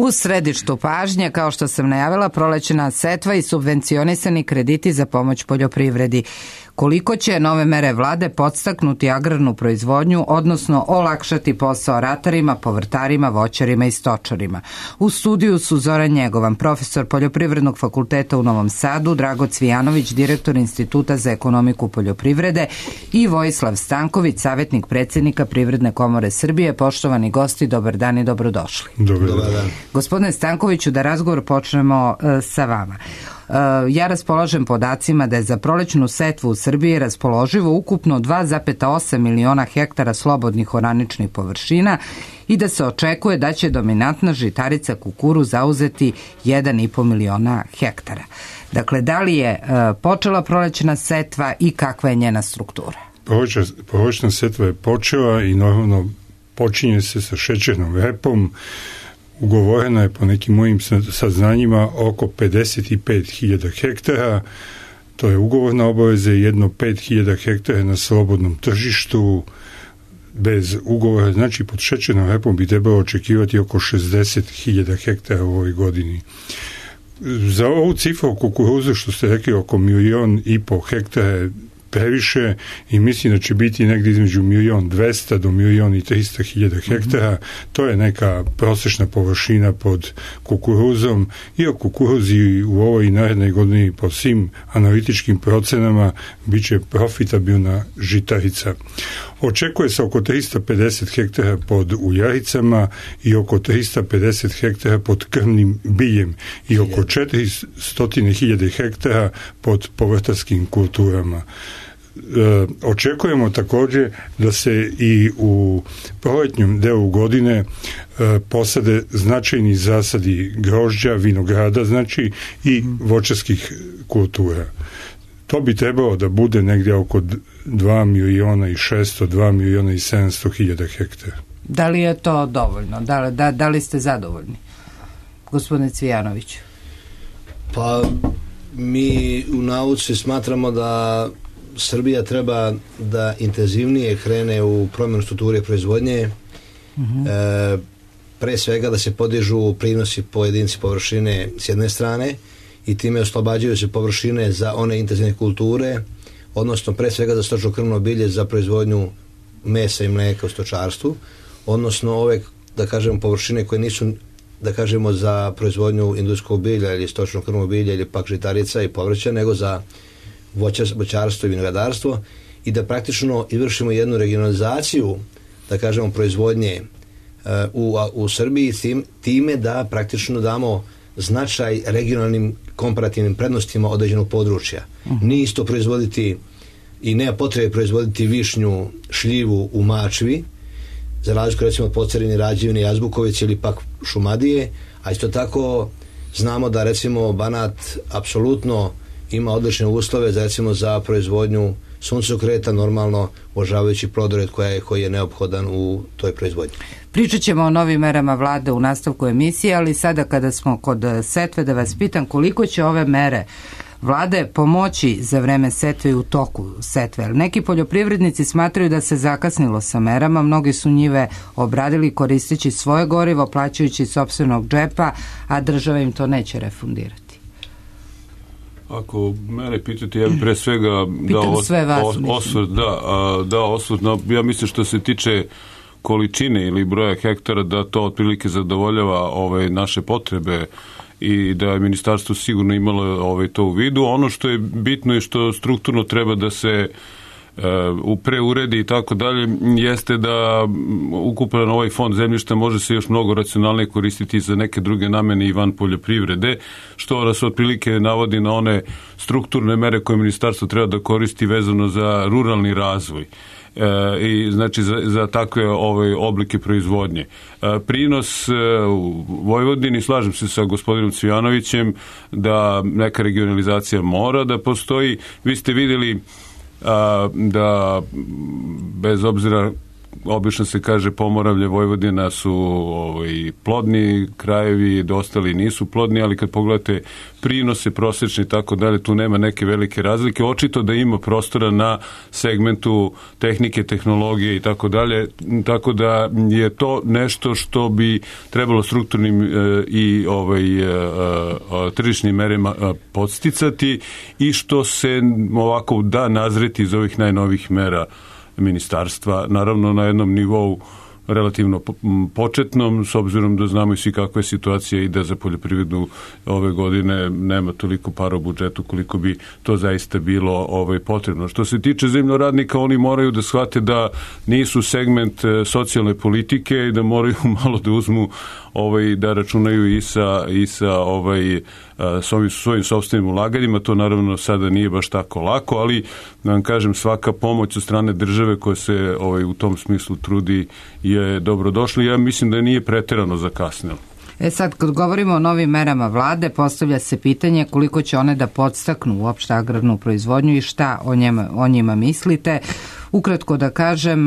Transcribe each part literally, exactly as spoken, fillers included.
U središtu pažnje, kao što sam najavila, prolećna setva i subvencionisani krediti za pomoć poljoprivredi. Koliko će nove mere vlade podstaknuti agrarnu proizvodnju, odnosno olakšati posao ratarima, povrtarima, voćarima i stočarima? U studiju su Zoran Njegovan, profesor Poljoprivrednog fakulteta u Novom Sadu, Drago Cvijanović, direktor Instituta za ekonomiku poljoprivrede i Vojislav Stanković, savjetnik predsjednika Privredne komore Srbije. Poštovani gosti, dobar dan i dobrodošli. Dobar dan. Gospodine Stankoviću, da razgovor počnemo uh, sa vama. Ja raspolažem podacima da je za prolećnu setvu u Srbiji raspoloživo ukupno dva zarez osam miliona hektara slobodnih oraničnih površina i da se očekuje da će dominantna žitarica kukuruz zauzeti jedan i po miliona hektara. Dakle, da li je počela prolećna setva i kakva je njena struktura? Prolećna setva je počela i normalno počinje se sa šećernom repom. Ugovoreno je po nekim mojim saznanjima oko pedeset pet hiljada hektara, to je ugovorna obaveza, jedno pet hiljada hektara na slobodnom tržištu bez ugovora, znači pod šećernom repom bi trebalo očekivati oko šezdeset hiljada hektara u ovoj godini. Za ovu cifru kukuruzu, što ste rekli, oko milion i po hektara je previše i mislim da će biti negdje između milion dvesta do milion i trista hiljada hektara. To je neka prosječna površina pod kukuruzom i o kukuruzi u ovoj i narednoj godini po svim analitičkim procenama bit će profitabilna žitarica. Očekuje se oko trista pedeset hektara pod uljaricama i oko trista pedeset hektara pod krmnim biljem i oko četiristo hiljada hektara pod povrtarskim kulturama. E, očekujemo također da se i u proletnjem delu godine e, posade značajni zasadi grožđa, vinograda, znači i voćarskih kultura. To bi trebalo da bude negdje oko dva miliona i šesto, dva miliona i sedamsto hiljada hektara. Da li je to dovoljno? Da, da, da li ste zadovoljni? Gospodine Cvijanović. Pa mi u nauci smatramo da Srbija treba da intenzivnije krene u promjenu strukture proizvodnje, uh-huh. e, pre svega da se podižu prinosi po jedinici površine s jedne strane i time oslobađaju se površine za one intenzivne kulture, odnosno pre svega za stočno krmno bilje za proizvodnju mesa i mlijeka u stočarstvu, odnosno ove, da kažemo, površine koje nisu, da kažemo, za proizvodnju industrijskog bilja ili stočno krmno bilje ili pak žitarica i povrća, nego za voćarstvo i vinogradarstvo i da praktično izvršimo jednu regionalizaciju, da kažemo, proizvodnje uh, u, u Srbiji tim, time da praktično damo značaj regionalnim komparativnim prednostima određenog područja. Uh-huh. Nije isto proizvoditi i nema potrebe proizvoditi višnju, šljivu u Mačvi, za razliku recimo od Pocerini, Rađevine, Jazbuković ili pak Šumadije, a isto tako znamo da recimo Banat apsolutno ima odlične uslove za, recimo, za proizvodnju suncokreta, normalno uvažavajući plodored koja je, koji je neophodan u toj proizvodnji. Pričat ćemo o novim merama vlade u nastavku emisije, ali sada kada smo kod setve, da vas pitam koliko će ove mere vlade pomoći za vreme setve i u toku setve. Neki poljoprivrednici smatraju da se zakasnilo sa merama, mnogi su njive obradili koristeći svoje gorivo, plaćajući sopstvenog džepa, a država im to neće refundirati. Ako mene pitate, ja bih pre svega dao osvrt, da, dao osvrt, no, ja mislim što se tiče količine ili broja hektara, da to otprilike zadovoljava ove naše potrebe i da je ministarstvo sigurno imalo ove, to u vidu. Ono što je bitno i što strukturno treba da se u preuredi i tako dalje, jeste da ukupan ovaj fond zemljišta može se još mnogo racionalnije koristiti za neke druge namene i van poljoprivrede, što nas otprilike navodi na one strukturne mere koje ministarstvo treba da koristi vezano za ruralni razvoj. E, i znači za, za takve ove oblike proizvodnje. E, prinos e, u Vojvodini, slažem se sa gospodinom Cvijanovićem da neka regionalizacija mora da postoji. Vi ste vidjeli a, da bez obzira obično se kaže Pomoravlje, Vojvodina su ovaj, plodni krajevi, ostali nisu plodni, ali kad pogledate prinose prosječni i tako dalje, tu nema neke velike razlike. Očito da ima prostora na segmentu tehnike, tehnologije i tako dalje, tako da je to nešto što bi trebalo strukturnim e, i ovaj, e, e, tržišnim merama e, podsticati i što se ovako da nazreti iz ovih najnovih mera ministarstva, naravno na jednom nivou relativno početnom, s obzirom da znamo i svi kakva je situacija i da za poljoprivredu ove godine nema toliko para u budžetu koliko bi to zaista bilo ovaj, potrebno. Što se tiče zemljoradnika, oni moraju da shvate da nisu segment socijalne politike i da moraju malo da uzmu ovaj, da računaju i sa, i sa ovaj, s ovim svojim sopstvenim ulaganjima. To naravno sada nije baš tako lako, ali da vam kažem, svaka pomoć od strane države koja se ovaj, u tom smislu trudi je dobrodošla. Ja mislim da nije preterano zakasnilo. E sad, kad govorimo o novim merama vlade, postavlja se pitanje koliko će one da podstaknu uopšte agrarnu proizvodnju i šta o njima, o njima mislite. Ukratko da kažem,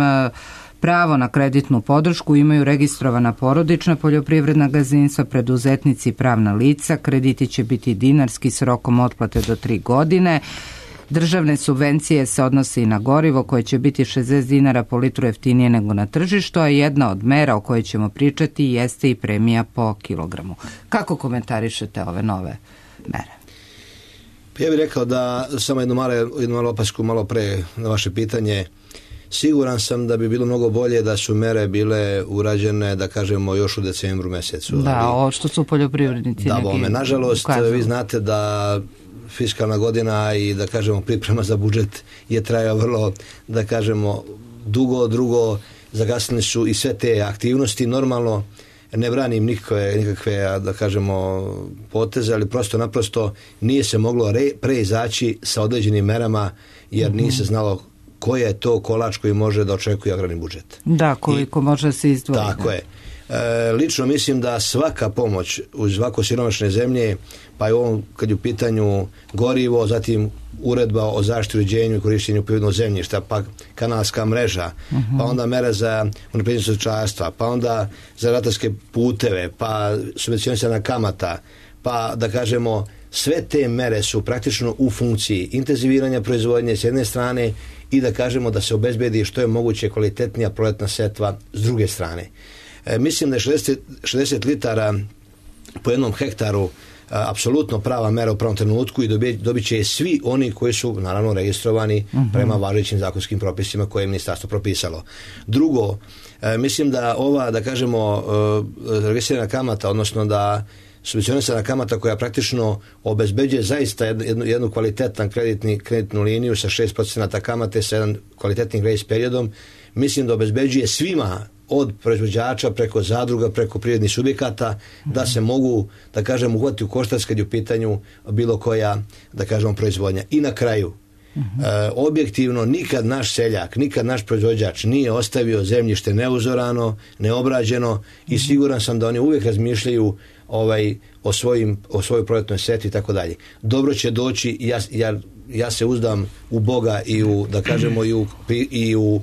pravo na kreditnu podršku imaju registrovana porodična poljoprivredna gazdinstva, preduzetnici i pravna lica. Krediti će biti dinarski s rokom otplate do tri godine. Državne subvencije se odnose i na gorivo koje će biti šezdeset dinara po litru jeftinije nego na tržištu, a jedna od mera o kojoj ćemo pričati jeste i premija po kilogramu. Kako komentarišete ove nove mere? Ja bih rekao da samo jednu malo, jednu malo opasku malo pre na vaše pitanje. Siguran sam da bi bilo mnogo bolje da su mere bile urađene, da kažemo, još u decembru mesecu. Da, ali, ovo što su poljoprivrednici da, neki bome, nažalost, ukazuju. Vi znate da fiskalna godina i, da kažemo, priprema za budžet je trajao vrlo, da kažemo, dugo. Drugo, zagasnili su i sve te aktivnosti. Normalno, ne branim nikakve, nikakve da kažemo, poteze, ali prosto naprosto nije se moglo re, preizaći sa određenim merama, jer mm-hmm. nije se znalo koji je to kolač koji može da očekuje agrarni budžet. Da, koliko I, može se izdvojiti. Tako je. E, lično mislim da svaka pomoć uz ovako siromašne zemlje, pa i ovom kad je u pitanju gorivo, zatim uredba o zaštiti, uređenju i korištenju poljoprivrednog zemljišta, pa kanalska mreža, uh-huh. pa onda mere za unapređenje stočarstva, pa onda za ratarske puteve, pa subvencionisana kamata, pa da kažemo sve te mere su praktično u funkciji intenziviranja proizvodnje s jedne strane i da kažemo da se obezbedi što je moguće kvalitetnija proletna setva s druge strane. E, mislim da je šezdeset, šezdeset litara po jednom hektaru a, apsolutno prava mera u pravom trenutku i dobit, dobit će svi oni koji su naravno registrovani uh-huh. prema važećim zakonskim propisima koje je ministarstvo propisalo. Drugo, e, mislim da ova, da kažemo, e, registrirana kamata, odnosno da subvencionisana kamata koja praktično obezbeđuje zaista jednu, jednu kvalitetnu kreditni, kreditnu liniju sa šest procenata kamate sa jedan kvalitetnim grace periodom, mislim da obezbeđuje svima od proizvođača preko zadruga, preko privrednih subjekata, mm-hmm. da se mogu, da kažem, uhvatiti u koštac kad je u pitanju bilo koja, da kažemo, proizvodnja. I na kraju, mm-hmm. e, objektivno, nikad naš seljak, nikad naš proizvođač nije ostavio zemljište neuzorano, neobrađeno mm-hmm. i siguran sam da oni uvijek razmišljaju ovaj, o, svojim, o svojoj proletnoj setvi i tako dalje. Dobro će doći, ja, ja, ja se uzdam u Boga i u, da kažemo, i u, i u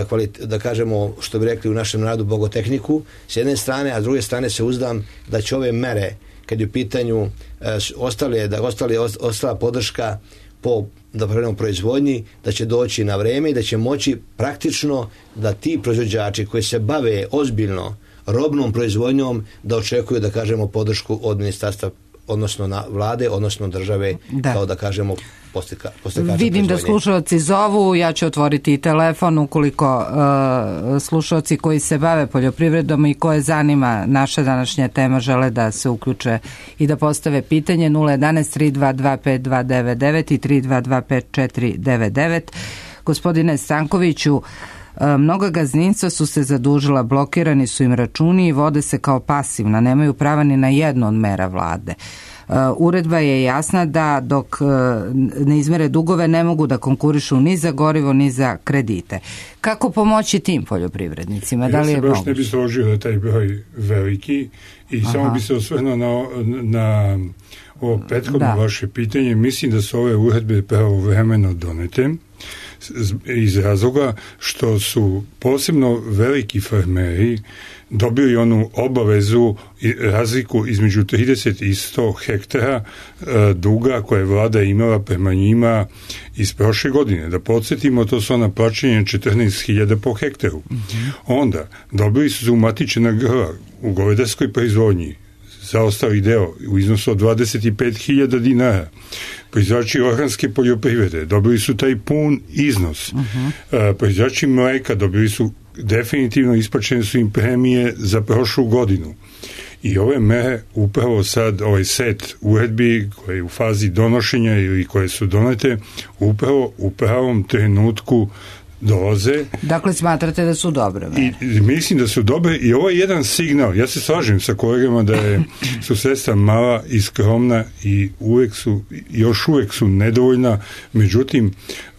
Kvalit, da kažemo, što bi rekli u našem narodu, bogotehniku s jedne strane, a s druge strane se uzdam da će ove mere, kad je u pitanju e, ostale, da ostali, ostala podrška po da pravimo proizvodnji, da će doći na vreme i da će moći praktično da ti proizvođači koji se bave ozbiljno robnom proizvodnjom da očekuju, da kažemo, podršku od ministarstva, odnosno na vlade, odnosno države, da. Kao da kažemo postika, vidim da slušalci zovu, ja ću otvoriti telefon ukoliko uh, slušalci koji se bave poljoprivredom i koje zanima naša današnja tema žele da se uključe i da postave pitanje nula jedanaest tri dva dva pet dva devet devet i tri dva dva pet četiri devet devet. Gospodine Stankoviću, mnoga gazdinstva su se zadužila, blokirani su im računi i vode se kao pasivna, nemaju prava ni na jednu od mera vlade. Uredba je jasna da dok ne izmere dugove ne mogu da konkurišu ni za gorivo ni za kredite. Kako pomoći tim poljoprivrednicima? Da li je ja se baš ne bi složio da taj broj veliki i Aha. samo bi se osvrnuo na, na ovo prethodno vaše pitanje. Mislim da su ove uredbe pravovremeno donete. iz razloga što su posebno veliki farmeri dobili onu obavezu i razliku između trideset i sto hektara e, duga koje je vlada imala prema njima iz prošle godine. Da podsjetimo, to su ona plaćanja četrnaest hiljada po hektaru. Mm-hmm. Onda dobili su umatičena grla u govedarskoj proizvodnji za ostali deo u iznosu od dvadeset pet hiljada dinara. Proizvođači organske poljoprivrede dobili su taj pun iznos. Uh-huh. E, proizvođači mleka dobili su definitivno, isplaćene su im premije za prošlu godinu. I ove mere upravo sad, ovaj set uredbi koje je u fazi donošenja ili koje su donete, upravo u pravom trenutku dolaze. Dakle, smatrate da su dobre mere? I mislim da su dobre i ovo je jedan signal. Ja se slažem sa kolegama da je, su sredstva mala i skromna i uvek su, još uvek su nedovoljna. Međutim,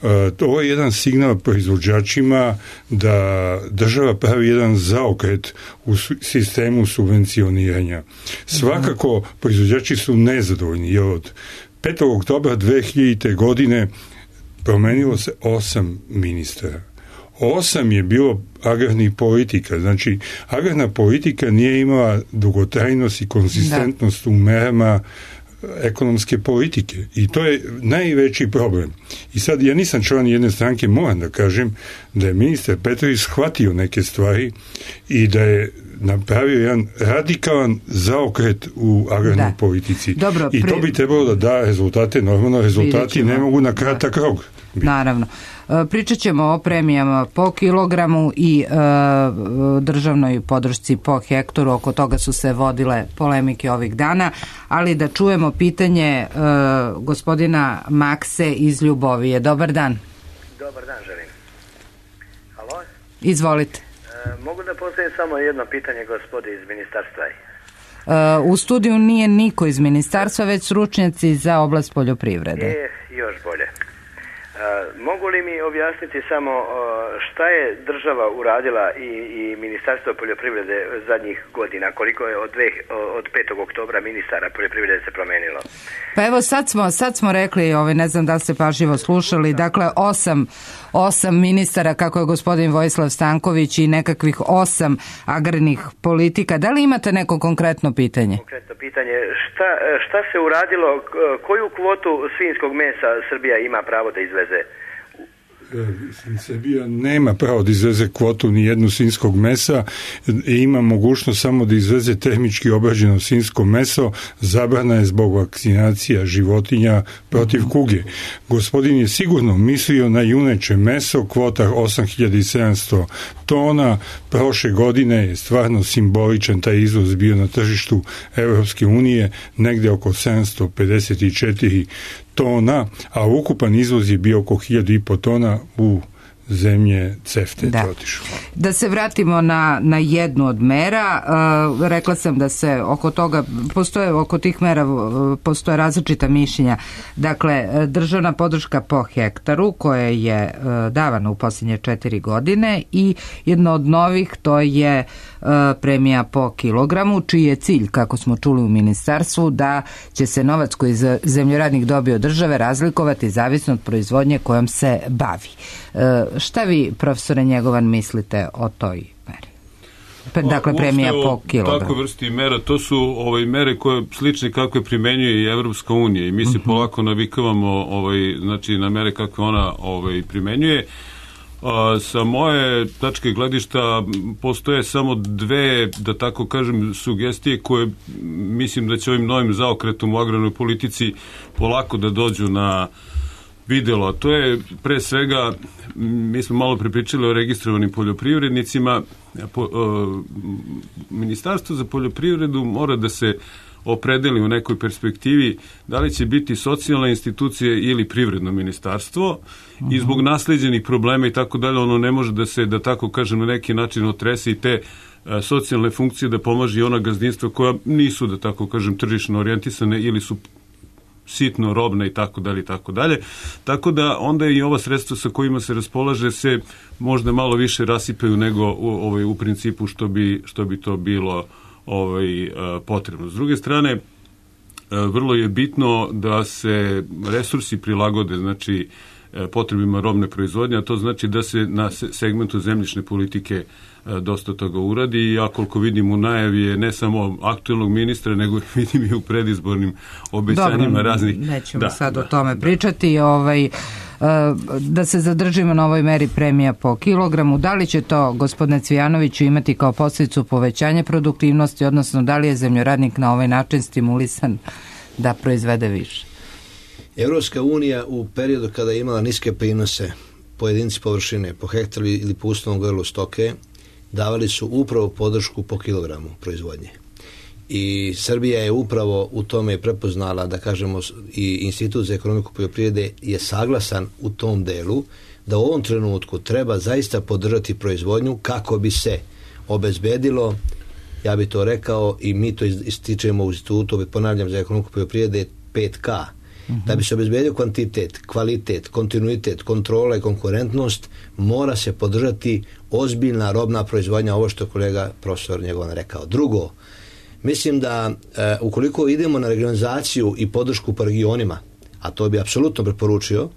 uh, ovo je jedan signal proizvođačima da država pravi jedan zaokret u sistemu subvencioniranja. Svakako, proizvođači su nezadovoljni, jer od petog oktobra dve hiljadite. godine promenilo se osam ministara. Osam je bilo agrarnih politika. Znači, agrarna politika nije imala dugotrajnost i konzistentnost da. u merama ekonomske politike. I to je najveći problem. I sad, ja nisam član jedne stranke, moram da kažem da je ministar Petrović shvatio neke stvari i da je napravio jedan radikalan zaokret u agrarnoj da. politici. Dobro, I to bi trebalo da da rezultate, normalno rezultati ne mogu na kratak da. rok. Naravno. Pričat ćemo o premijama po kilogramu i e, državnoj podršci po hektaru. Oko toga su se vodile polemike ovih dana, ali da čujemo pitanje e, gospodina Makse iz Ljubovije. Dobar dan. Dobar dan, želim. Halo? Izvolite. E, mogu da postavim samo jedno pitanje gospodi iz ministarstva? E, u studiju nije niko iz ministarstva, već stručnjaci za oblast poljoprivrede. E, još bolje. Uh, mogu li mi objasniti samo uh, šta je država uradila i, i Ministarstvo poljoprivrede zadnjih godina, koliko je od, dve, od petog oktobra ministara poljoprivrede se promenilo? Pa evo sad smo, sad smo rekli, ovaj, ne znam da ste pažljivo slušali, dakle osam, osam ministara, kako je gospodin Vojislav Stanković, i nekakvih osam agrarnih politika. Da li imate neko konkretno pitanje? Konkretno pitanje, šta, šta se uradilo, koju kvotu svinjskog mesa Srbija ima pravo da izveze? Srbija nema pravo da izveze kvotu ni jednu svinjskog mesa i ima mogućnost samo da izveze tehnički obrađeno svinjsko meso. Zabrana je zbog vakcinacija životinja protiv kuge. Gospodin je sigurno mislio na juneće meso, kvota osam hiljada sedamsto tona. Prošle godine je stvarno simboličan taj izvoz bio na tržištu Evropske unije, negde oko sedamsto pedeset četiri tona, a ukupan izvoz je bio oko hiljadu i po tona u zemlje CEFTA. Da. Da se vratimo na, na jednu od mera. Uh, rekla sam da se oko toga, postoje oko tih mera uh, postoje različita mišljenja. Dakle, državna podrška po hektaru koja je uh, davana u posljednje četiri godine i jedno od novih to je uh, premija po kilogramu, čiji je cilj, kako smo čuli u ministarstvu, da će se novac koji zemljoradnik dobije od države razlikovati zavisno od proizvodnje kojom se bavi. Uh, Šta vi, profesore Njegovan, mislite o toj meri? Dakle, premija po kilogramu. Tako vrsti mera, to su ovaj, mere koje slične kakve primenjuje i Evropska unija i mi se uh-huh. polako navikavamo ovaj, znači, na mere kakve ona ovaj, primenjuje. A, sa moje tačke gledišta postoje samo dve, da tako kažem, sugestije koje mislim da će ovim novim zaokretom u agrarnoj politici polako da dođu na videlo. To je pre svega, mi smo malo prepričali o registrovanim poljoprivrednicima. Po, o, Ministarstvo za poljoprivredu mora da se opredeli u nekoj perspektivi da li će biti socijalna institucija ili privredno ministarstvo uh-huh. i zbog nasleđenih problema i tako dalje, ono ne može da se, da tako kažem, na neki način otrese i te a, socijalne funkcije da pomaže i ona gazdinstva koja nisu, da tako kažem, tržišno orijentisane ili su sitno robne i tako dalje i tako dalje. Tako da onda i ova sredstva sa kojima se raspolaže se možda malo više rasipaju nego u, ovaj, u principu što bi, što bi to bilo ovaj, potrebno. S druge strane, vrlo je bitno da se resursi prilagode, znači potrebima robne proizvodnje, a to znači da se na segmentu zemljišne politike dosta toga uradi, i ja koliko vidim u najavi je ne samo aktualnog ministra, nego vidim i u predizbornim obećanjima Dobro, raznih. Nećemo da, sad da, o tome da. pričati. Ovaj, da se zadržimo na ovoj meri premija po kilogramu. Da li će to, gospodine Cvijanoviću, imati kao posljedicu povećanje produktivnosti, odnosno da li je zemljoradnik na ovaj način stimulisan da proizvede više? Evropska unija u periodu kada je imala niske prinose po jedinici površine, po hektaru ili po uslovnom grlu stoke, davali su upravo podršku po kilogramu proizvodnje. I Srbija je upravo u tome prepoznala, da kažemo, i Institut za ekonomiku poljoprivrede je saglasan u tom delu, da u ovom trenutku treba zaista podržati proizvodnju kako bi se obezbedilo, ja bi to rekao, i mi to ističemo u Institutu, ponavljam, za ekonomiku poljoprivrede, pet K. Mm-hmm. Da bi se obezbedio kvantitet, kvalitet, kontinuitet, kontrola i konkurentnost, mora se podržati ozbiljna robna proizvodnja, ovo što je kolega profesor Njegovan rekao. Drugo, mislim da e, ukoliko idemo na regionalizaciju i podršku po regionima, a to bi apsolutno preporučio,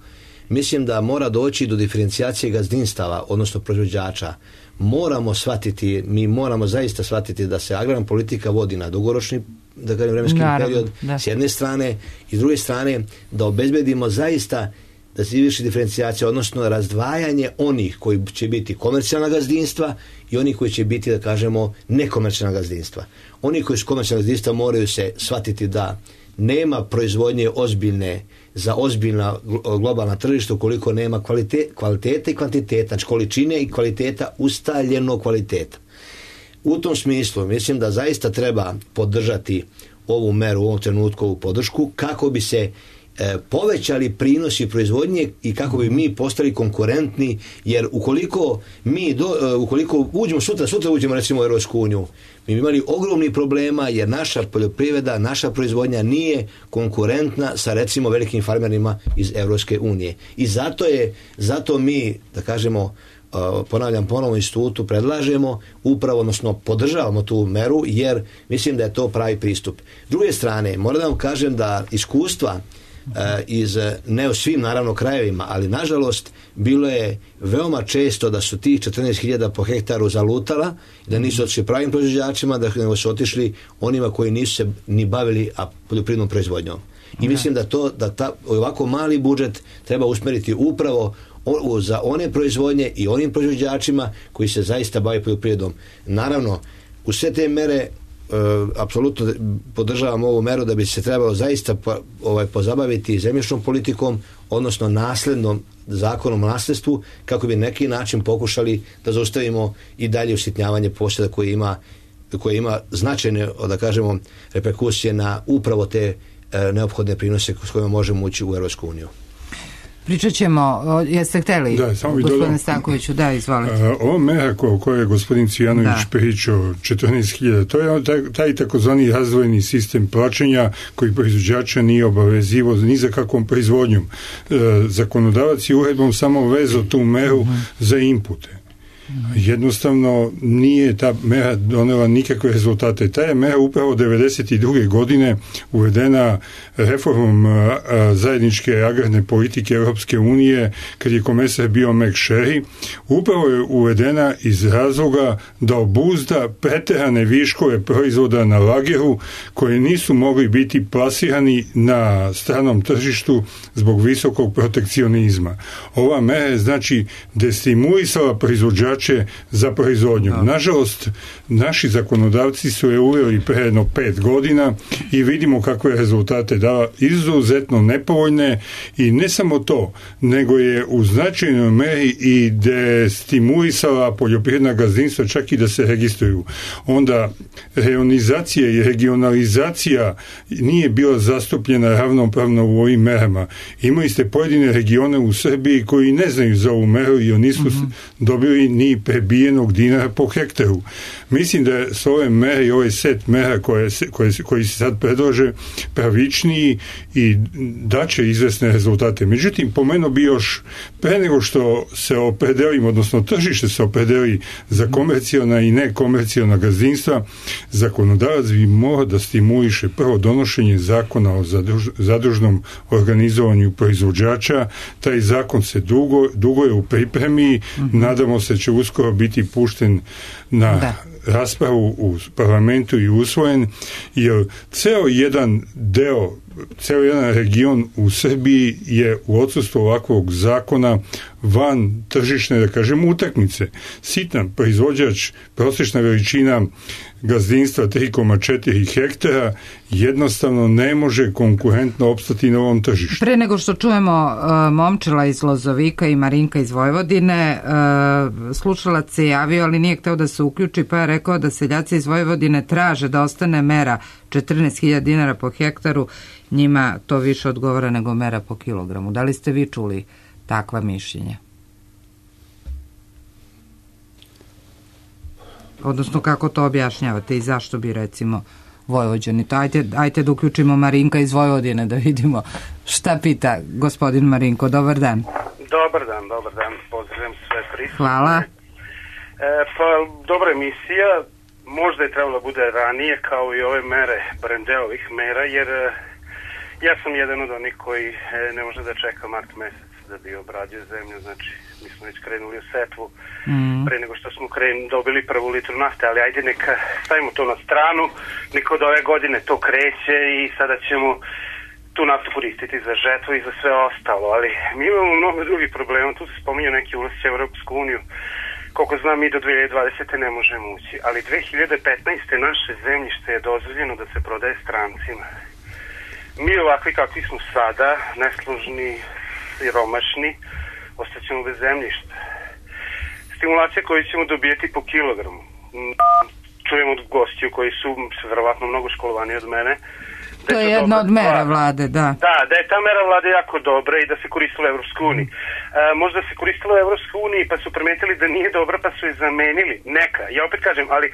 mislim da mora doći do diferencijacije gazdinstava, odnosno proizvođača. Moramo shvatiti, mi moramo zaista shvatiti da se agrarna politika vodi na dugoročni, da kažem, vremenski Naravno, period, da. S jedne strane, i s druge strane da obezbedimo zaista da se izvrši diferencijacija, odnosno razdvajanje onih koji će biti komercijalna gazdinstva i oni koji će biti, da kažemo, nekomercijalna gazdinstva. Oni koji su komercijalna gazdinstva moraju se shvatiti da nema proizvodnje ozbiljne za ozbiljna globalna tržišta ukoliko nema kvalitete, kvalitete i kvantiteta, znači količine i kvaliteta, ustaljenog kvaliteta. U tom smislu mislim da zaista treba podržati ovu meru u ovom trenutku, ovu podršku, kako bi se e, povećali prinosi proizvodnje i kako bi mi postali konkurentni, jer ukoliko mi do, e, ukoliko uđemo sutra, sutra uđemo recimo u Europsku uniju, mi bi imali ogromni problema jer naša poljoprivreda, naša proizvodnja nije konkurentna sa recimo velikim farmerima iz Europske unije. I zato je, zato mi, da kažemo, ponavljam, ponovo institutu predlažemo upravo, odnosno podržavamo tu meru, jer mislim da je to pravi pristup. S druge strane, moram da vam kažem da iskustva e, iz, ne u svim naravno krajevima, ali nažalost bilo je veoma često da su tih četrnaest hiljada po hektaru zalutala, da nisu otišli pravim proizvođačima, da nego su otišli onima koji nisu se ni bavili a poljoprivrednom proizvodnjom. I mislim da to, da ta, ovako mali budžet treba usmeriti upravo o, za one proizvodnje i onim proizvođačima koji se zaista bave poljoprivredom. Naravno, u sve te mere e, apsolutno podržavam ovu meru da bi se trebalo zaista po, ovaj, pozabaviti zemljišnom politikom, odnosno naslednom zakonom o nasljedstvu, kako bi neki način pokušali da zaustavimo i dalje usitnjavanje posjeda koje ima, koje ima značajne, da kažemo, reperkusije na upravo te e, neophodne prinose s kojima možemo ući u Europsku uniju. Pričat ćemo, jeste hteli, da, samo gospodine Stankoviću, da, izvolite. Ovo mera o kojoj je gospodin Cvijanović da. pričao, četrnaest hiljada, to je taj, taj takozvani razdvojeni sistem plaćanja koji proizvođača nije obavezivo ni za kakvom proizvodnjom. E, zakonodavac je uredbom samo vezao tu meru uh-huh. za inpute. Jednostavno nije ta mera donela nikakve rezultate. Ta je mera upravo devedeset druge godine uvedena reformom a, a, zajedničke agrarne politike Europske unije, kad je komesar bio Mac Sherry. Upravo je uvedena iz razloga da obuzda preterane viškove proizvoda na lageru koje nisu mogli biti plasirani na stranom tržištu zbog visokog protekcionizma. Ova mera je znači destimulisala proizvođača za proizvodnju. Da. Nažalost, naši zakonodavci su je uveli pre jedno pet godina i vidimo kakve rezultate dava, izuzetno nepovoljne, i ne samo to, nego je u značajnoj meri i destimulisala poljoprivredna gazdinstva čak i da se registruju. Onda reonizacija i regionalizacija nije bila zastupljena ravnopravno u ovim merama. Imali ste pojedine regione u Srbiji koji ne znaju za ovu meru i nisu mm-hmm. dobili ni ni prebijenog dinara po hektaru. Mislim da su ove mere i ovaj set mera koje, koje, koji se sad predlože pravičniji i daće izvesne rezultate. Međutim, pomenuo bi još pre nego što se opredelimo, odnosno tržište se opredeli za komercijalna i nekomercijalna gazdinstva, zakonodavac bi morao da stimuliše prvo donošenje zakona o zadruž, zadružnom organizovanju proizvođača. Taj zakon se dugo, dugo je u pripremi, mm-hmm. nadamo se će uskoro biti pušten na da. raspravu u parlamentu i usvojen, jer ceo jedan deo, ceo jedan region u Srbiji je u odsustvu ovakvog zakona van tržišne, da kažem, utakmice. Sitan proizvođač, prosječna veličina gazdinstva tri zarez četiri hektara jednostavno ne može konkurentno opstati na ovom tržištu. Pre nego što čujemo uh, Momčila iz Lozovika i Marinka iz Vojvodine, uh, slušalac se javio, ali nije hteo da se uključi, pa je rekao da seljaci iz Vojvodine traže da ostane mera četrnaest hiljada dinara po hektaru, njima to više odgovara nego mera po kilogramu. Da li ste vi čuli takva mišljenja? Odnosno, kako to objašnjavate i zašto bi, recimo, Vojvođani? To ajte, ajte da uključimo Marinka iz Vojvodine da vidimo šta pita gospodin Marinko. Dobar dan. Dobar dan, dobar dan. Pozdravljam sve prisutne. Hvala. E, pa, dobra emisija. Možda je trebalo bude ranije kao i ove mere, barem deo ovih mera, jer ja sam jedan od onih koji ne može da čeka mart mesec da bi obradio zemlju, znači mi smo već krenuli u setvu mm. pre nego što smo kren, dobili prvu litru nafte, ali ajde neka stavimo to na stranu, neka od ove godine to kreće i sada ćemo tu naftu koristiti za žetvu i za sve ostalo, ali mi imamo mnogo drugih problema, tu se spominju neki ulazci u Europsku uniju, koliko znam mi do dve hiljade dvadesete ne možemo ući, ali dve hiljade petnaeste naše zemljište je dozvoljeno da se prodaje strancima. Mi ovakvi kakvi smo sada, neslužni, siromašni, ostaćemo bez zemljišta. Stimulacije koje ćemo dobijeti po kilogramu. Čujem od gostiju koji su verovatno mnogo školovani od mene. To je jedna od mera vlade, da. Da, da je ta mera vlade jako dobra i da se koristila u Evropskoj uniji. E, možda se koristila u Evropskoj uniji pa su primetili da nije dobra pa su je zamenili. Neka, ja opet kažem, ali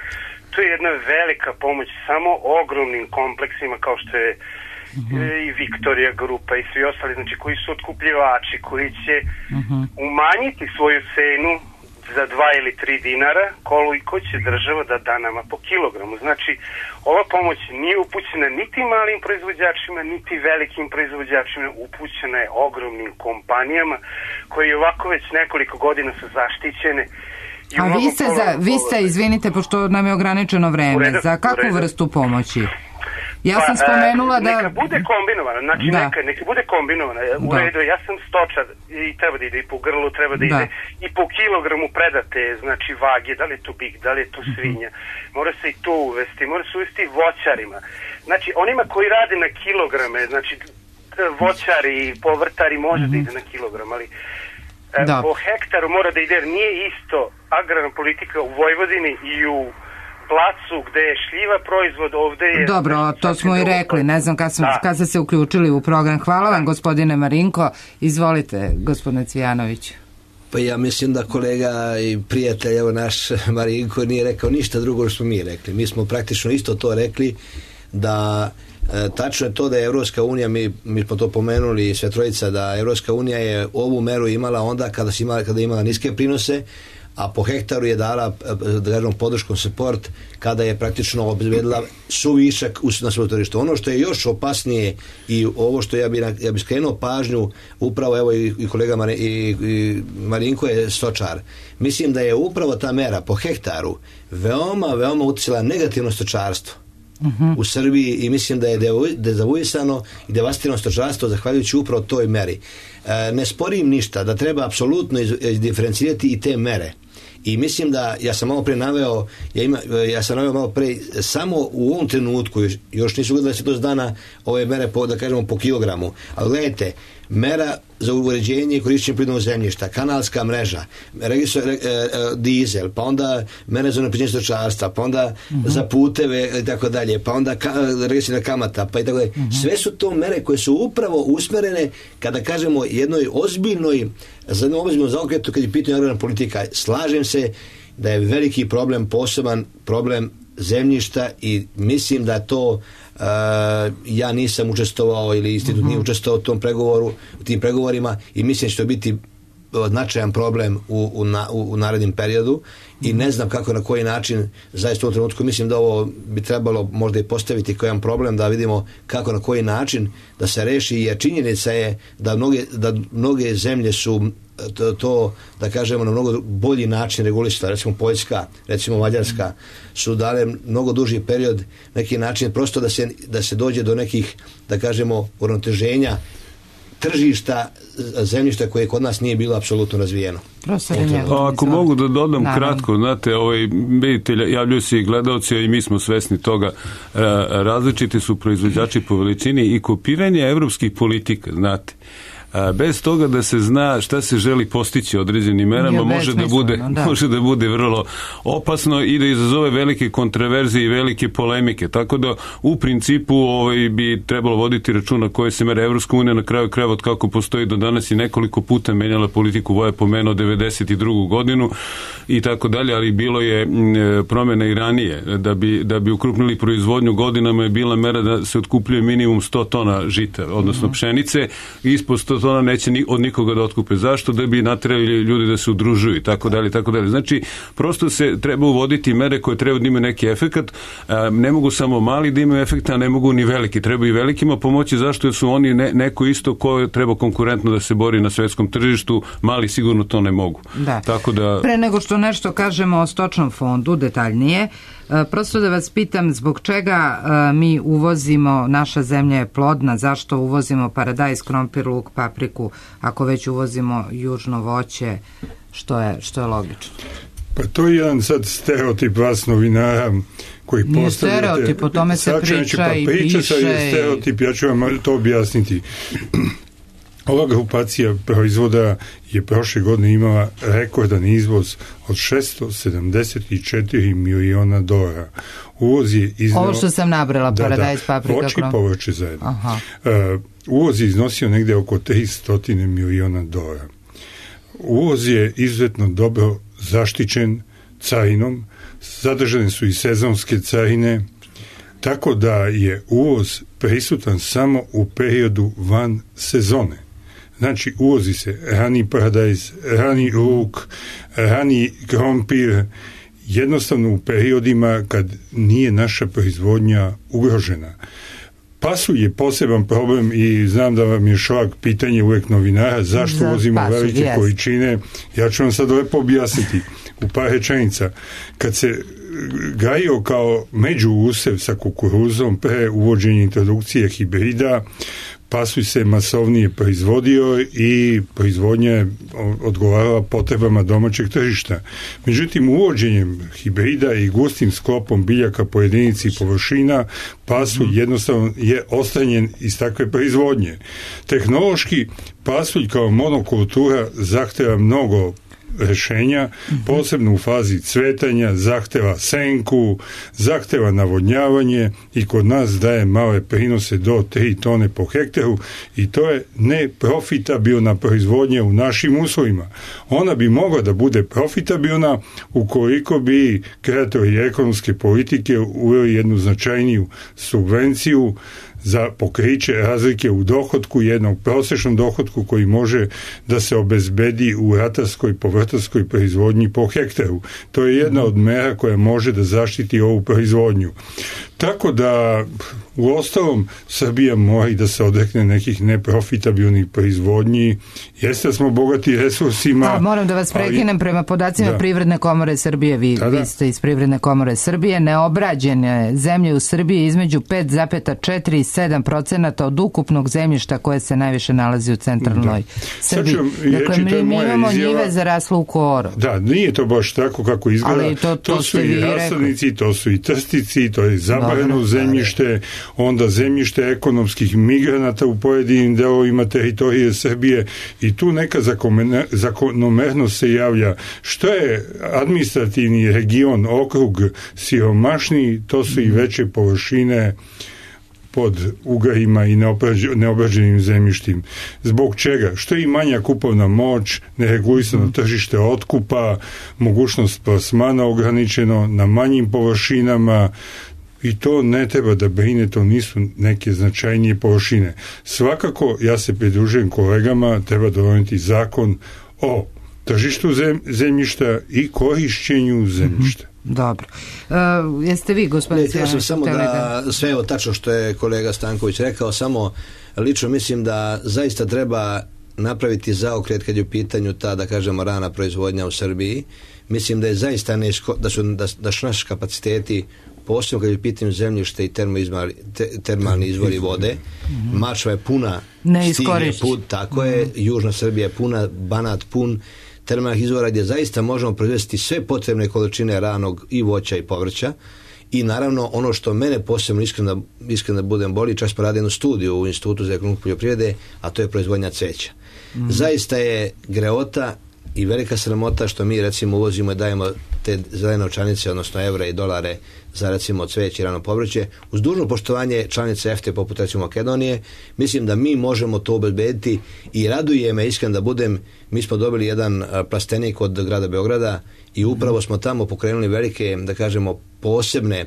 to je jedna velika pomoć samo ogromnim kompleksima kao što je mm-hmm. i Viktorija grupa i svi ostali, znači koji su otkupljivači, koji će mm-hmm. umanjiti svoju cenu za dva ili tri dinara, koliko će država da da nama po kilogramu. Znači, ova pomoć nije upućena niti malim proizvođačima, niti velikim proizvođačima, upućena je ogromnim kompanijama koji ovako već nekoliko godina su zaštićene. I a vi ste, za, vi ste, izvinite, pošto nam je ograničeno vreme, redu, za kakvu vrstu pomoći? Ja pa, sam spomenula da... Neka bude kombinovana, znači da. neka, neka bude kombinovana. U da. redu, ja sam stočar i treba da ide i po grlu, treba da, da. ide i po kilogramu predate, znači vage, da li je to bik, da li je to svinja. Mora se i to uvesti, mora se uvesti voćarima. Znači, onima koji rade na kilograme, znači voćari i povrtari može mm-hmm. da ide na kilogram, ali da. po hektaru mora da ide, jer nije isto agrarna politika u Vojvodini i u placu gde je šljiva proizvod, ovde je... Dobro, to smo i rekli, ne znam kad, smo, da. kad ste se uključili u program. Hvala vam, gospodine Marinko. Izvolite, gospodine Cvijanović. Pa ja mislim da kolega i prijatelj, evo naš Marinko, nije rekao ništa drugo što smo mi rekli. Mi smo praktično isto to rekli, da e, tačno je to da je Evropska unija, mi, mi smo to pomenuli sve trojica, da Evropska unija je ovu meru imala onda kada, si imala, kada je imala niske prinose, a po hektaru je dala, da kažem, podrškom support kada je praktično obezbedila suvišak na svoje tržište. Ono što je još opasnije i ovo što ja bi, ja bi skrenuo pažnju, upravo evo i, i kolega Mar, i, i Marinko je stočar. Mislim da je upravo ta mera po hektaru veoma, veoma uticala negativno stočarstvo uh-huh. u Srbiji i mislim da je dezavuisano i devastirano stočarstvo zahvaljujući upravo toj meri. E, ne sporim ništa da treba apsolutno izdiferencirati i te mere. I mislim da, ja sam malo pre naveo, ja, ima, ja sam naveo malo pre, samo u ovom trenutku, još, još nisu gledali se to dana ove mere, po, da kažemo, po kilogramu, ali gledajte, mera za uređenje i korišćenje prirodnog zemljišta, kanalska mreža, registro, re, e, dizel, pa onda mere za unapređenje stočarstva, pa onda uh-huh. za puteve i tako dalje, pa onda ka, registro kamata, pa i tako dalje. Uh-huh. Sve su to mere koje su upravo usmerene, kada kažemo jednoj ozbiljnoj, za jednu ozbiljnu zaokretu kad je pitanje agrarna politika. Slažem se da je veliki problem, poseban problem zemljišta i mislim da to Uh, ja nisam učestvovao ili institut nije učestvovao u tom pregovoru, u tim pregovorima i mislim da će to biti značajan problem u, u, na, u, u narednim periodu i ne znam kako, na koji način zaista u trenutku mislim da ovo bi trebalo možda i postaviti kao jedan problem da vidimo kako, na koji način da se reši, jer činjenica je da mnoge, da mnoge zemlje su to, to da kažemo na mnogo bolji način regulisala, recimo Poljska, recimo Mađarska su dale mnogo duži period neki način prosto da se, da se dođe do nekih da kažemo uravnoteženja tržišta zemljišta koje kod nas nije bilo apsolutno razvijeno. Pa ako mogu da dodam Naravno. kratko, znate, ovaj, vidite, javljaju se i gledalci i mi smo svesni toga, različiti su proizvođači po veličini i kopiranje evropskih politika, znate. Bez toga da se zna šta se želi postići određenim merama, može da, bude, da. može da bude vrlo opasno i da izazove velike kontroverzije i velike polemike. Tako da u principu ovaj, bi trebalo voditi računa koje se mere. Evropska unija na kraju krajeva od kako postoji do danas i nekoliko puta menjala politiku, Voja pomenuo devedeset drugu godinu i tako dalje, ali bilo je promjena i ranije. Da bi, da bi ukrupnili proizvodnju godinama je bila mera da se otkupljuje minimum sto tona žita, odnosno mm. pšenice, ispod sto tona neće ni, od nikoga da otkupe. Zašto? Da bi naterali ljudi da se udružuju i tako dalje, tako dalje. Znači, prosto se treba uvoditi mere koje treba da imaju neki efekat. Ne mogu samo mali da imaju efekta, a ne mogu ni veliki. Treba i velikima pomoći. Zašto? Jer su oni ne, neko isto ko treba konkurentno da se bori na svetskom tržištu. Mali sigurno to ne mogu. Da. Tako da... Pre nego što nešto kažemo o stočnom fondu detaljnije, prosto da vas pitam zbog čega mi uvozimo, naša zemlja je plodna, zašto uvozimo paradajz, krompir, luk, papriku, ako već uvozimo južno voće, što je, što je logično? Pa to je jedan sad stereotip vas novinara koji Nije postavljate... Nije stereotip, o tome se priča pa i priča piše. Sad je stereotip, ja ću vam to objasniti. Ova grupacija proizvoda je prošle godine imala rekordan izvoz od šesto sedamdeset četiri miliona dolara. Uvoz je iznao... Ovo što sam nabrala, paradajz, paprika, voće i povrće zajedno. Aha. Uh, uvoz je iznosio negde oko tristo miliona dolara. Uvoz je izuzetno dobro zaštićen carinom, zadržane su i sezonske carine, tako da je uvoz prisutan samo u periodu van sezone. Znači, uvozi se rani paradajz, rani luk, rani krompir, jednostavno u periodima kad nije naša proizvodnja ugrožena. Pasulj je poseban problem i znam da vam je šlag pitanje uvek novinara zašto Za uvozimo pasulj, velike yes. količine. Ja ću vam sad lepo objasniti u par rečenica. Kad se gajio kao međuusev sa kukuruzom pre uvođenja introdukcije hibrida, pasulj se masovnije proizvodio i proizvodnja je odgovarala potrebama domaćeg tržišta. Međutim, uvođenjem hibrida i gustim sklopom biljaka po jedinici površina, pasulj jednostavno je ostranjen iz takve proizvodnje. Tehnološki, pasulj kao monokultura zahteva mnogo rešenja, posebno u fazi cvetanja, zahteva senku, zahteva navodnjavanje i kod nas daje male prinose do tri tone po hektaru i to je neprofitabilna proizvodnja u našim uslovima. Ona bi mogla da bude profitabilna ukoliko bi kreatori ekonomske politike uveli jednu značajniju subvenciju za pokriće razlike u dohotku, jednog prosječnom dohotku koji može da se obezbedi u ratarskoj, povrtarskoj proizvodnji po hektaru. To je jedna od mera koja može da zaštiti ovu proizvodnju. Tako da u ostalom Srbija mora i da se odrekne nekih neprofitabilnih proizvodnji. Jeste da smo bogati resursima. A, moram da vas prekinem, ali, prema podacima da. Privredne komore Srbije, vi, da, da. vi ste iz Privredne komore Srbije, neobrađene zemlje u Srbiji između pet zarez četiri i sedam procenata od ukupnog zemljišta koje se najviše nalazi u centralnoj da. Srbiji. Dakle, mi, mi imamo izjava, njive zaraslo u koro. Da, nije to baš tako kako izgleda. Ali to, to, to su i rasadnici, to su i trstici, to je zabrano zemljište. onda zemljište ekonomskih migranata u pojedinim delovima teritorije Srbije i tu neka zakonomernost se javlja. Što je administrativni region, okrug siromašniji, to su i veće površine pod ugarima i neobrađenim zemljištim. Zbog čega? Što je i manja kupovna moć, neregulisano tržište otkupa, mogućnost plasmana ograničeno na manjim površinama, i to ne treba da brine, to nisu neke značajnije površine. Svakako, ja se pridružujem kolegama, treba donijeti zakon o tržištu zemljišta i korišćenju zemljišta. Dobro. E, jeste vi, gospodin Sjajanić? Ja sam samo da, sve je tačno što je kolega Stanković rekao, samo lično mislim da zaista treba napraviti zaokret kad je u pitanju ta, da kažemo, rana proizvodnja u Srbiji. Mislim da je zaista neško, da su, da, da su naši kapaciteti, posebno kad je u pitanju zemljište i termoizmali, te, termalni izvori vode, mm-hmm. Mačva je puna, Stig put, tako je, mm-hmm. Južna Srbija je puna, Banat pun termalnih izvora gdje zaista možemo proizvesti sve potrebne količine ranog i voća i povrća. I naravno ono što mene posebno iskreno, iskreno da budem boli, čak smo radili jednu studiju u Institutu za ekonomiju poljoprivrede, a to je proizvodnja cveća. Mm-hmm. Zaista je greota i velika sramota što mi recimo uvozimo i dajemo te zelene novčanice, odnosno evra i dolare za recimo cveće i rano povrće. Uz dužno poštovanje članice E F T A poput recimo Makedonije, mislim da mi možemo to obezbediti i raduje me iskreno da budem, mi smo dobili jedan plastenik od grada Beograda i upravo smo tamo pokrenuli velike, da kažemo, posebne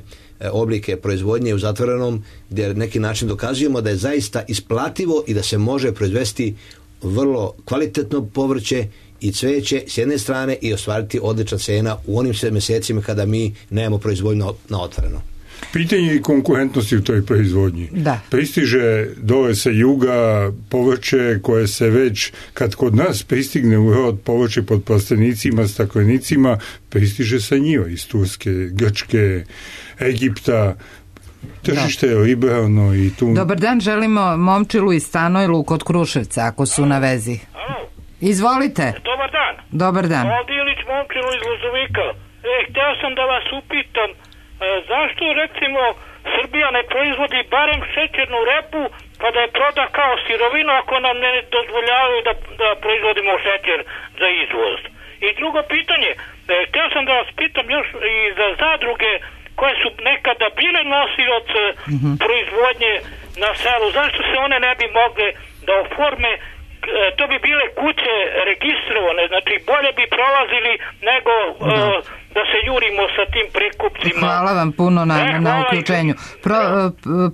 oblike proizvodnje u zatvorenom, gdje neki način dokazujemo da je zaista isplativo i da se može proizvesti vrlo kvalitetno povrće i cveće s jedne strane i ostvariti odlična cena u onim mjesecima kada mi nemamo proizvodnju na otvoreno. Pitanje i konkurentnosti u toj proizvodnji. Da. Pristiže dole sa juga povrće koje se već, kad kod nas pristigne u rod povrće pod plastenicima, staklenicima, pristiže sa njiva iz Turske, Grčke, Egipta. Tržište je liberalno i tu... Dobar dan, želimo Momčilu i Stanojlu kod Kruševca, ako su na vezi. Izvolite. Dobar dan. Dobar dan. Ovdje Ilić Momčilo iz Lozovika. E, htio sam da vas upitam, e, zašto recimo Srbija ne proizvodi barem šećernu repu pa da je proda kao sirovinu ako nam ne dozvoljavaju da, da proizvodimo šećer za izvoz. I drugo pitanje, e, htio sam da vas pitam još i za zadruge koje su nekada bile nosioc mm-hmm. proizvodnje na selu, zašto se one ne bi mogle da oforme, to bi bile kuće registrovane, znači bolje bi prolazili nego da, uh, da se jurimo sa tim prekupcima. Hvala vam puno na, e, na uključenju. Pro,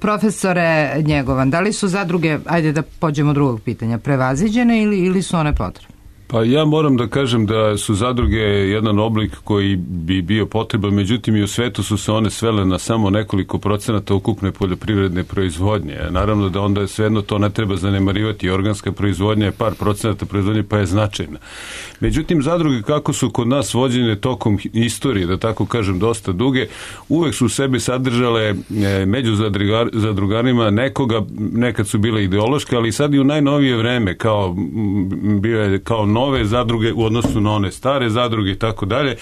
profesore Njegovan, da li su zadruge, ajde da pođemo od drugog pitanja, prevaziđene ili, ili su one potrebne? Pa ja moram da kažem da su zadruge jedan oblik koji bi bio potreban, međutim i u svetu su se one svele na samo nekoliko procenata ukupne poljoprivredne proizvodnje. Naravno da onda svejedno to ne treba zanemarivati, organska proizvodnja je par procenata proizvodnje pa je značajna. Međutim, zadruge kako su kod nas vođene tokom istorije, da tako kažem dosta duge, uvek su u sebi sadržale među zadrugarima nekoga, nekad su bile ideološke, ali sad i u najnovije vreme kao bio je kao nove zadruge u odnosu na one stare zadruge i tako dalje.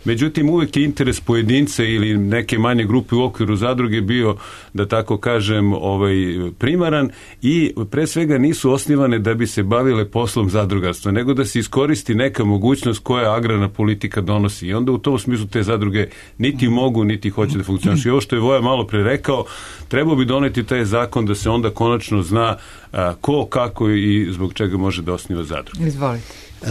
Međutim, uvek je interes pojedince ili neke manje grupe u okviru zadruge bio, da tako kažem, ovaj, primaran i pre svega nisu osnivane da bi se bavile poslom zadrugarstva, nego da se iskoristi neka mogućnost koja agrarna politika donosi. I onda u tom smislu te zadruge niti mogu, niti hoće da funkcionišu. I ovo što je Voja malo pre rekao, trebao bi doneti taj zakon da se onda konačno zna a, ko, kako i zbog čega može da osniva zadruge. Izvolite. E,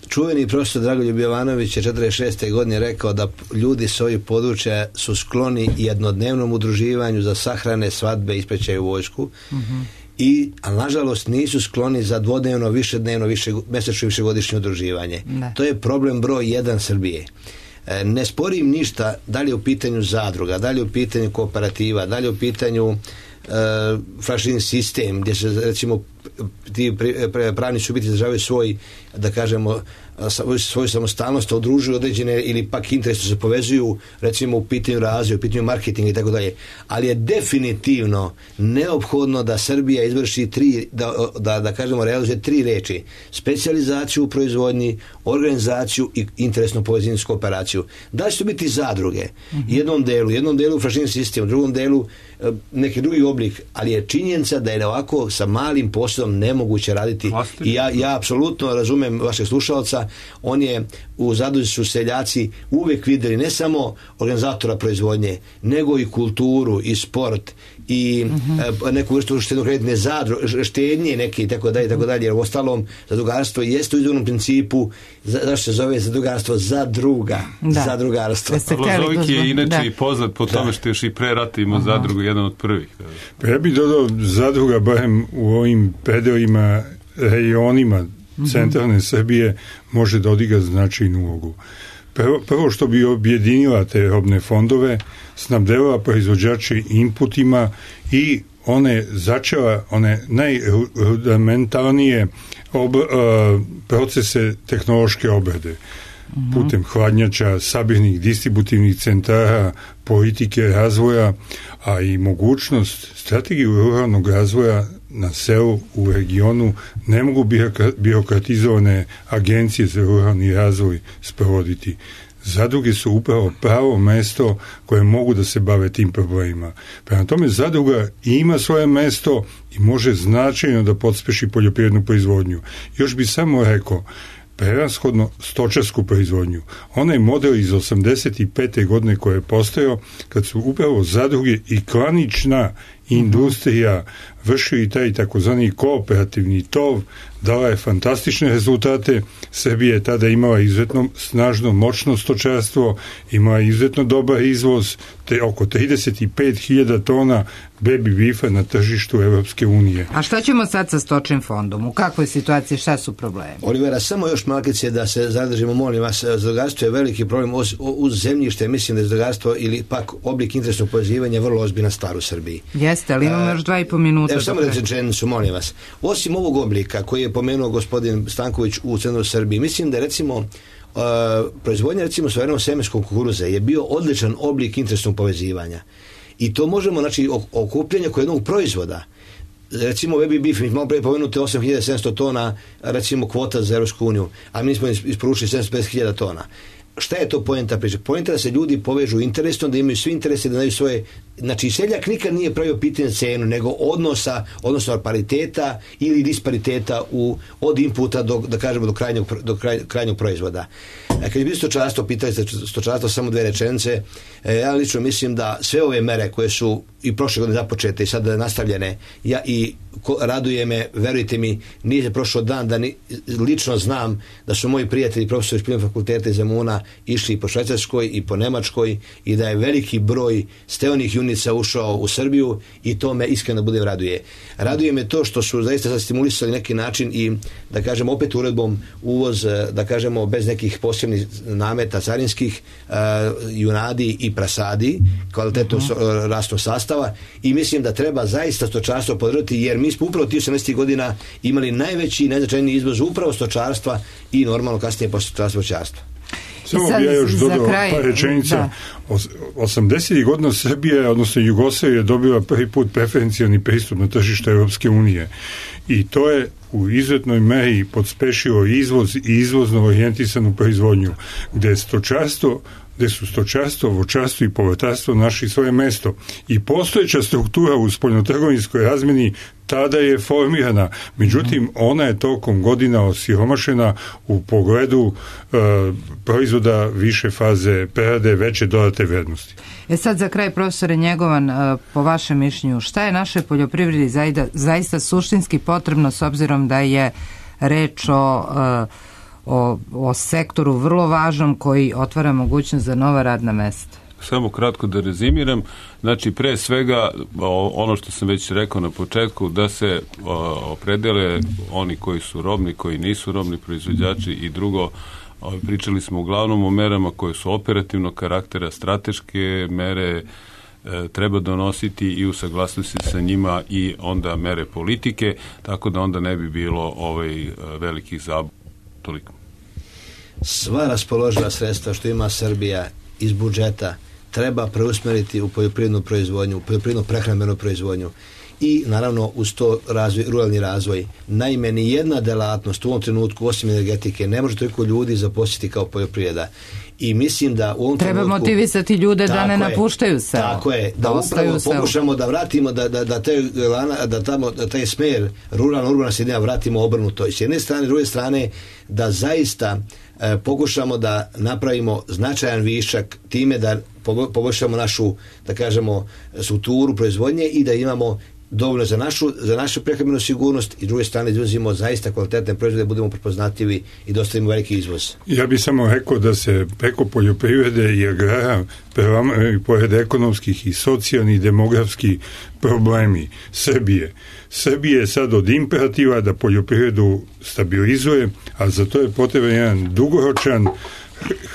čuveni profesor Dragoljub Jovanović je četrdeset šeste godine rekao da ljudi s ovih područja su skloni jednodnevnom udruživanju za sahrane, svadbe, ispraćaju vojsku, mm-hmm. i, ali nažalost nisu skloni za dvodnevno, višednevno, više, mesečno i višegodišnje udruživanje. Ne. To je problem broj jedan Srbije. E, ne sporim ništa da li je u pitanju zadruga, da li je u pitanju kooperativa, da li je u pitanju e, franšizing sistem gdje se recimo ti pravni subjekti izražavaju svoj, da kažemo, svoju samostalnost, udružuju određene ili pak interesi se povezuju, recimo u pitanju razvoja, u pitanju marketinga i tako dalje. Ali je definitivno neophodno da Srbija izvrši tri, da, da, da kažemo, realizuje tri reči: specijalizaciju u proizvodnji, organizaciju i interesnu povezaničku operaciju. Da će to biti zadruge? Mm-hmm. Jednom delu, jednom delu franšizing sistem, u drugom delu neki drugi oblik, ali je činjenica da je ovako sa malim posjedom nemoguće raditi. I ja, ja apsolutno razumem vašeg slušalca, on je u Zadruzi su seljaci uvek videli ne samo organizatora proizvodnje, nego i kulturu i sport i uh-huh. neku vrstu štednokreditne zadruge, štednje neke i tako dalje, tako dalje, jer u ostalom zadrugarstvo jeste u izvornom principu, zašto se zove zadrugarstvo? Zadruga. Da. Zadrugarstvo. Lozovik je inače i poznat po tome što još i pre rata ima zadrugu, jedan od prvih. Pa ja bih dodao zadruga, barem u ovim predelima, rejonima centralne Srbije, može da odigra značajnu ulogu. Prvo, prvo što bi objedinila te robne fondove, snabdela proizvođače inputima i one začela one najrudimentalnije ob, uh, procese tehnološke obrade. Mm-hmm. Putem hladnjača, sabirnih distributivnih centara, politike razvoja, a i mogućnost strategiju ruralnog razvoja na selu, u regionu, ne mogu birokratizovane agencije za ruralni razvoj sprovoditi. Zadruge su upravo pravo mesto koje mogu da se bave tim problemima. Prema tome, zadruga ima svoje mesto i može značajno da podspeši poljoprivrednu proizvodnju. Još bi samo rekao, prevashodno stočarsku proizvodnju. Onaj model iz osamdeset pete godine koji je postojao, kad su upravo zadruge i klanična industrija vršili taj takozvani kooperativni tov, dala je fantastične rezultate. Srbija je tada imala izuzetno snažno, moćno stočarstvo, imala izuzetno dobar izvoz, te oko trideset pet hiljada tona baby beefa na tržištu Evropske unije. A šta ćemo sad sa stočnim fondom? U kakvoj situaciji, šta su problemi? Olivera, samo još malkice da se zadržimo, molim vas, zadrugarstvo je veliki problem uz, uz zemljište, mislim da je zadrugarstvo ili pak oblik interesnog povezivanja vrlo ozbiljna stvar u Srbiji. Jeste, ali imamo još dva i po minuta. Evo samo rečenicu, molim vas. Osim ovog oblika koji je pomenuo gospodin Stanković u centru Srbiji, mislim da recimo Uh, proizvodnja recimo suverenog semenskog kukuruza je bio odličan oblik interesnog povezivanja i to možemo, znači okupljanje kod jednog proizvoda, recimo baby beef, mi malo pre pomenuti osam hiljada sedamsto tona recimo kvota za Evropsku uniju, a mi smo isporučili sedamsto pedeset hiljada tona. Šta je to poenta priče? Poenta da se ljudi povežu interesno, da imaju svi interese, da daju svoje, znači seljak nikad nije pravio pitanje cenu, nego odnosa, odnosno pariteta ili dispariteta u, od inputa do, da kažemo, do krajnjeg, do kraj, krajnjeg proizvoda. E, kad je bilo stočarstvo, pitali ste stočarstvo, samo dve rečenice, e, ja lično mislim da sve ove mere koje su i prošle godine započete i sada nastavljene, ja i ko, raduje me, verujte mi, nije se prošao dan da ni, lično znam da su moji prijatelji profesori Špiljnog fakulteta iz Zemuna išli i po Švajcarskoj i po Nemačkoj i da je veliki broj steonih junica ušao u Srbiju i to me iskreno bude raduje. Raduje me to što su zaista sad stimulisali neki način i da kažem opet uredbom uvoz, da kažemo bez nekih posebnih nameta carinskih, uh, junadi i prasadi, kvalitetu uh-huh. rastnog sastava i mislim da treba zaista stočarstvo podržati jer mi smo upravo tih osamdesetih godina imali najveći i najznačajniji izvoz upravo stočarstva i normalno kasnije posle stočarstva voćarstva. Samo bi ja još dodao par rečenica. osamdesetih godina Srbija, odnosno Jugoslavija je dobila prvi put preferencijalni pristup na tržište Evropske unije. I to je u izuzetnoj meri podspešilo izvoz i izvozno orijentisanu proizvodnju, gde je stočarstvo gde su stočarstvo, voćarstvo i povrtarstvo našli svoje mesto. I postojeća struktura u spoljnotrgovinskoj razmeni tada je formirana. Međutim, ona je tokom godina osiromašena u pogledu e, proizvoda više faze prerade, veće dodate vrednosti. E sad za kraj, profesore Njegovan, e, po vašem mišljenju, šta je našoj poljoprivredi zaista, zaista suštinski potrebno s obzirom da je reč o e, O, o sektoru vrlo važnom koji otvara mogućnost za nova radna mesta? Samo kratko da rezimiram. Znači, pre svega, ono što sam već rekao na početku, da se opredele oni koji su robni, koji nisu robni proizvođači i drugo, pričali smo uglavnom o merama koje su operativnog karaktera, strateške mere, treba donositi i u saglasnosti sa njima i onda mere politike, tako da onda ne bi bilo ovaj velikih zabuna. Toliko. Sva raspoloživa sredstva što ima Srbija iz budžeta treba preusmeriti u poljoprivrednu proizvodnju, u poljoprivrednu prehrambenu proizvodnju i naravno uz to razvoj, ruralni razvoj. Naime, ni jedna delatnost u ovom trenutku osim energetike ne može toliko ljudi zaposliti kao poljoprivreda. I mislim da u ovom treba trenutku, motivisati ljude da ne napuštaju selo. Tako je, da, da upravo pokušamo da vratimo da, da, da, te, da, tamo, da taj smer ruralno-urbana sredina vratimo obrnuto. S jedne strane, s druge strane, da zaista e, pokušamo da napravimo značajan višak time da poboljšamo našu, da kažemo, strukturu proizvodnje i da imamo dovoljno za našu, za našu prehrambenu sigurnost i s druge strane izvozimo zaista kvalitetne proizvode, budemo prepoznatljivi i dostavimo veliki izvoz. Ja bih samo rekao da se preko poljoprivrede i agrara prelamaju pored ekonomskih i socijalnih i demografskih problemi Srbije. Srbije je sad od imperativa da poljoprivredu stabilizuje, a za to je potreban jedan dugoročan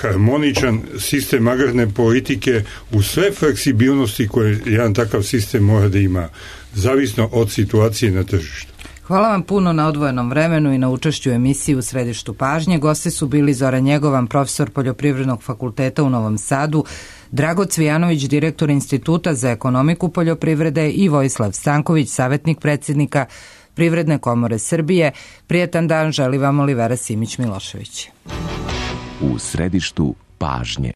harmoničan sistem agrarne politike u sve fleksibilnosti koje jedan takav sistem mora da ima, zavisno od situacije na tržištu. Hvala vam puno na odvojenom vremenu i na učešću u emisiji U središtu pažnje. Gosti su bili Zoran Njegovan, profesor Poljoprivrednog fakulteta u Novom Sadu, Drago Cvijanović, direktor Instituta za ekonomiku poljoprivrede i Vojislav Stanković, savjetnik predsjednika Privredne komore Srbije. Prijetan dan želi vam Olivera Simić-Milošević. U središtu pažnje.